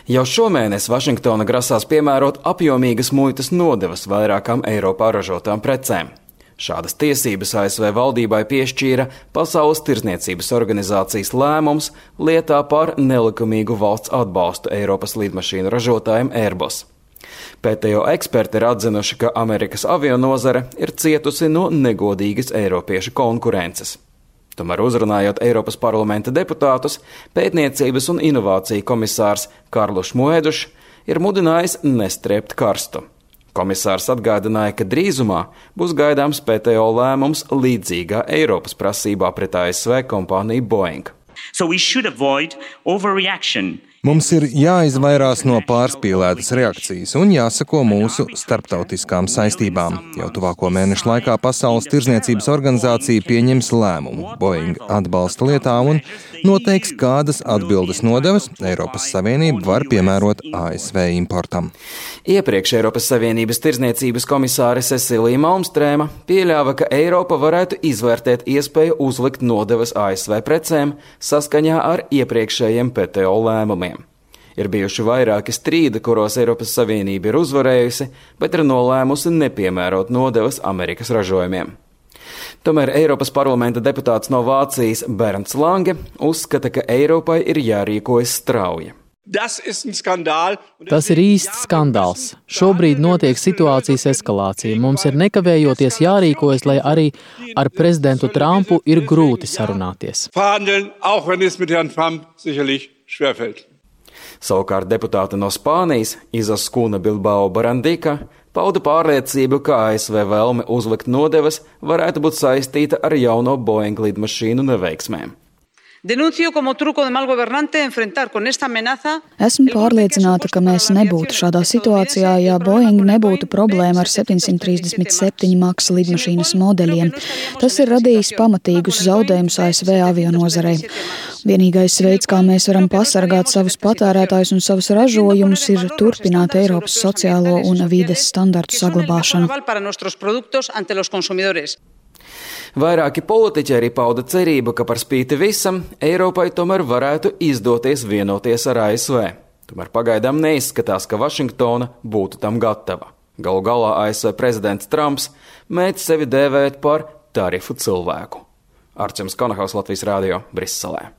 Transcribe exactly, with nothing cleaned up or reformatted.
Jau šomēnes Vašingtona grasās piemērot apjomīgas muitas nodevas vairākām Eiropā ražotām precēm. Šādas tiesības A S V valdībai piešķīra Pasaules tirdzniecības organizācijas lēmums lietā par nelikumīgu valsts atbalstu Eiropas lidmašīnu ražotājiem Airbus. P T O eksperti ir atzinuši, ka Amerikas avianozare ir cietusi no negodīgas eiropiešu konkurences. Tomēr uzrunājot Eiropas parlamenta deputātus, pētniecības un inovāciju komisārs Karluš Moedušs ir mudinājis nestrēpt karstu. Komisārs atgādināja, ka drīzumā būs gaidāms P T O lēmums līdzīgā Eiropas prasībā pret A S V kompāniju Boeing. So we should avoid overreaction. Mums ir jāizvairās no pārspīlētas reakcijas un jāsako mūsu starptautiskām saistībām. Jau tuvāko mēnešu laikā Pasaules tirdzniecības organizācija pieņems lēmumu Boeing atbalsta lietā un noteiks, kādas atbildes nodevas Eiropas Savienība var piemērot A S V importam. Iepriekš Eiropas Savienības tirdzniecības komisāre Cecilija Malmstrēma pieļāva, ka Eiropa varētu izvērtēt iespēju uzlikt nodevas A S V precēm saskaņā ar iepriekšējiem P T O lēmumiem. Ir bijuši vairāki strīdi, kuros Eiropas Savienība ir uzvarējusi, bet ir nolēmusi nepiemērot nodevas Amerikas ražojumiem. Tomēr Eiropas parlamenta deputāts no Vācijas Bernds Lange uzskata, ka Eiropai ir jārīkojas strauji. Tas ir īsts skandāls. Šobrīd notiek situācijas eskalācija. Mums ir nekavējoties jārīkojas, lai arī ar prezidentu Trumpu ir grūti sarunāties. Savukārt deputāte no Spānijas Izaskuna Bilbao Barandika pauda pārliecību, ka A S V vēlme uzlikt nodevas varētu būt saistīta ar jauno Boeing lidmašīnu neveiksmēm. Esmu pārliecināta, ka mēs nebūtu šādā situācijā, ja Boeing nebūtu problēma ar septiņsimt trīsdesmit septiņi maks lidmašīnas modeļiem. Tas ir radījis pamatīgus zaudējumus A S V avianozarei. Vienīgais veids, kā mēs varam pasargāt savus patērētājus un savus ražojumus, ir turpināt Eiropas sociālo un vides standartu saglabāšanu. Vairāki politiķi arī pauda cerību, ka par spīti visam Eiropai tomēr varētu izdoties vienoties ar A S V. Tomēr pagaidām neizskatās, ka Vašingtona būtu tam gatava. Galu galā A S V prezidents Trumps mēdz sevi dēvēt par tarifu cilvēku. Arčuns Konahaus, Latvijas Rādio, Briselē.